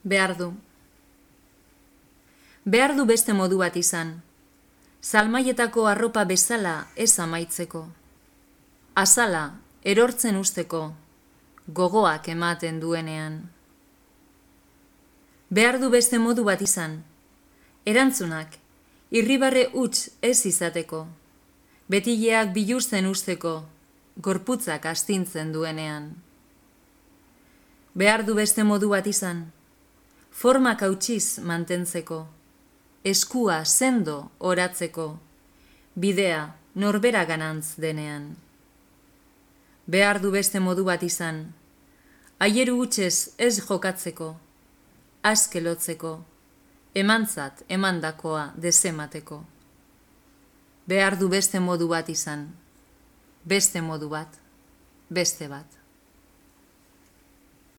Behar du. Behar du beste modu bat izan. Salmaietako arropa bezala ez amaitzeko. Azala, erortzen usteko, gogoak ematen duenean. Behar du beste modu bat izan. Erantzunak, irribarre huts ez izateko. Betileak biluzten usteko, gorputzak astintzen duenean. Behar du beste modu bat izan. Formak hautsiz mantentzeko. Eskua sendo oratzeko. Bidea norbera ganantz denean. Behar du beste modu bat izan. Aieru hutsez ez jokatzeko. Aske lotzeko. Emantzat emandakoa desemateko. Behar du beste modu bat izan. Beste modu bat. Beste bat.